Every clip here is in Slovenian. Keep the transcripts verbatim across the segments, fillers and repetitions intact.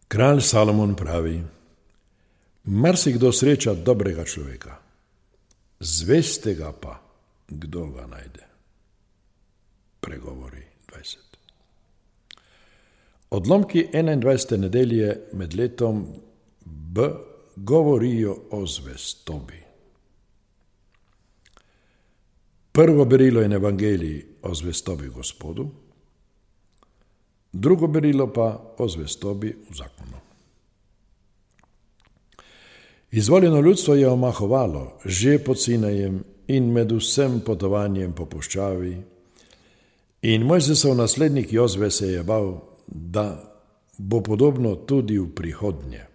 Kralj Salomon pravi: marsikdo sreča dobrega človeka, zvestega pa kdo ga najde. Pregovori dvajset. Odlomki enaindvajsete nedelje med letom B govorijo o zvestobi. Prvo berilo je Evangelij o zvestobi Gospodu, drugo berilo pa o zvestobi v zakonu. Izvoljeno ljudstvo je omahovalo že pod Sinajem in med vsem potovanjem po puščavi in Mojzesov naslednik Jozve se je bal, da bo podobno tudi v prihodnje.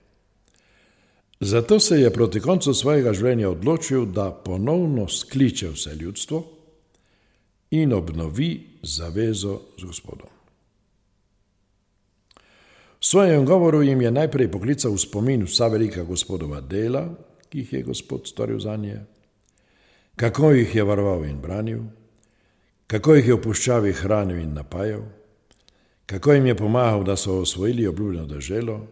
Zato se je proti koncu svojega življenja odločil, da ponovno skliče vse ljudstvo in obnovi zavezo z Gospodom. V svojem govoru jim je najprej poklical v spomin vsa velika Gospodova dela, ki jih je Gospod storil zanje, kako jih je varoval in branil, kako jih je v puščavi hranil in napajal, kako jim je pomagal, da so osvojili obljubljeno deželo,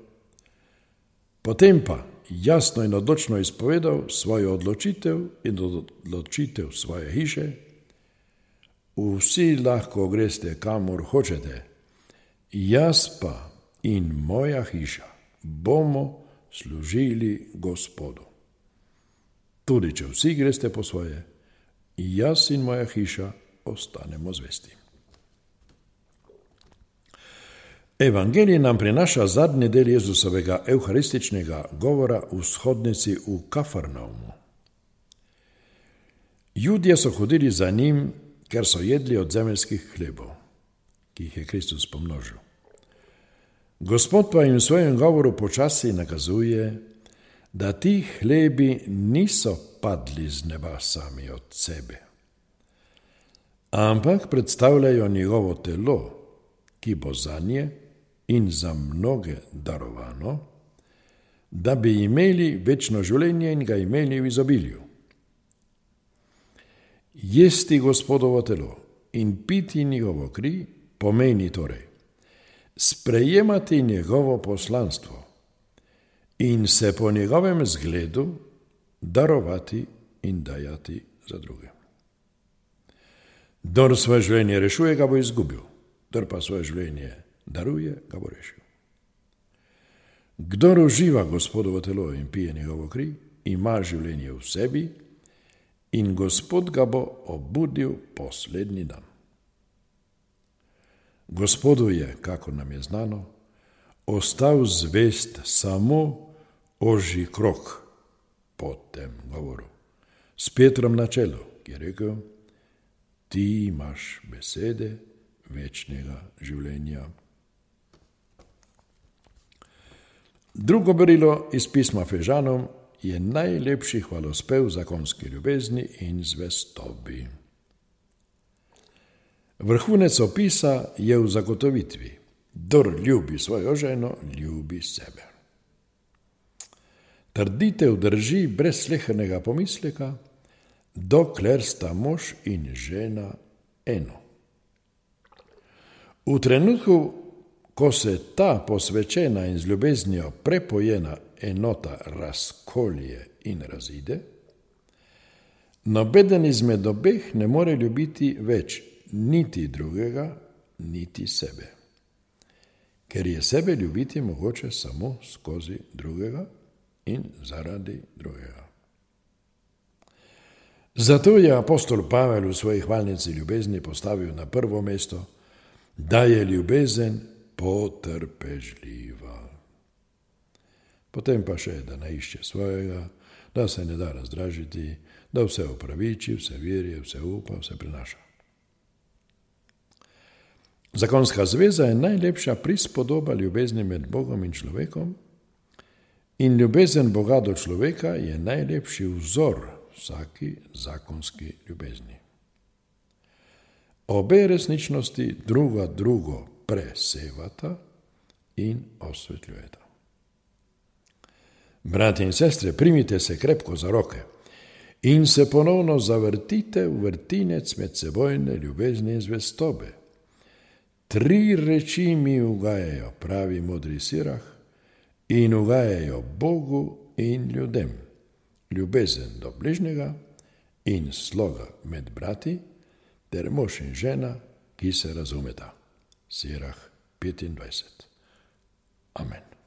potem pa jasno in odločno izpovedal svojo odločitev in odločitev svoje hiše: vsi lahko greste kamor hočete, jaz pa in moja hiša bomo služili Gospodu. Tudi če vsi greste po svoje, jaz in moja hiša ostanemo zvesti. Evangelij nam prinaša zadnji del Jezusovega evharističnega govora v shodnici v Kafarnaumu. Judje so hodili za njim, ker so jedli od zemeljskih hlebov, ki jih je Kristus pomnožil. Gospod pa jim v svojem govoru počasi nakazuje, da ti hlebi niso padli z neba sami od sebe, ampak predstavljajo njegovo telo, ki bo zanje in za mnoge darovano, da bi imeli večno življenje in ga imeli v izobilju. Jesti Gospodovo telo in piti njegovo kri pomeni torej sprejemati njegovo poslanstvo in se po njegovem zgledu darovati in dajati za druge. Kdor svoje življenje rešuje, ga bo izgubil, kdor pa svoje življenje daruje, ga bo rešil. Kdor uživa Gospodovo telo in pije njegovo kri, ima življenje v sebi in Gospod ga bo obudil poslednji dan. Gospodu je, kako nam je znano, ostal zvest samo ožji krog po tem govoru, s Petrom na čelu, ki je rekel: ti imaš besede večnega življenja. Drugo berilo iz pisma Efežanom je najlepši hvalospev zakonski ljubezni in zvestobi. Vrhunec opisa je v zagotovitvi: kdor ljubi svojo ženo, ljubi sebe. Trditev drži brez slehernega pomisleka, dokler sta mož in žena eno. V trenutku, ko se ta posvečena in z ljubeznijo prepojena enota razkolje in razide, nobeden izmed obeh ne more ljubiti več niti drugega, niti sebe. Ker je sebe ljubiti mogoče samo skozi drugega in zaradi drugega. Zato je apostol Pavel v svoji hvalnici ljubezni postavil na prvo mesto, da je ljubezen potrpežljiva. Potem pa še, da ne išče svojega, da se ne da razdražiti, da vse opraviči, vse verje, vse upa, vse prenaša. Zakonska zveza je najlepša prispodoba ljubezni med Bogom in človekom in ljubezen Boga do človeka je najlepši vzor vsaki zakonski ljubezni. Obe resničnosti druga drugo presevata in osvetljujeta. Bratje in sestre, primite se krepko za roke in se ponovno zavrtite v vrtinec medsebojne ljubezni in zvestobe. Tri reči mi ugajajo, pravi modri sirah, in ugajajo Bogu in ljudem, ljubezen do bližnjega in sloga med brati, ter mož in žena, ki se razumeta. Sirah petindvajset. Amen.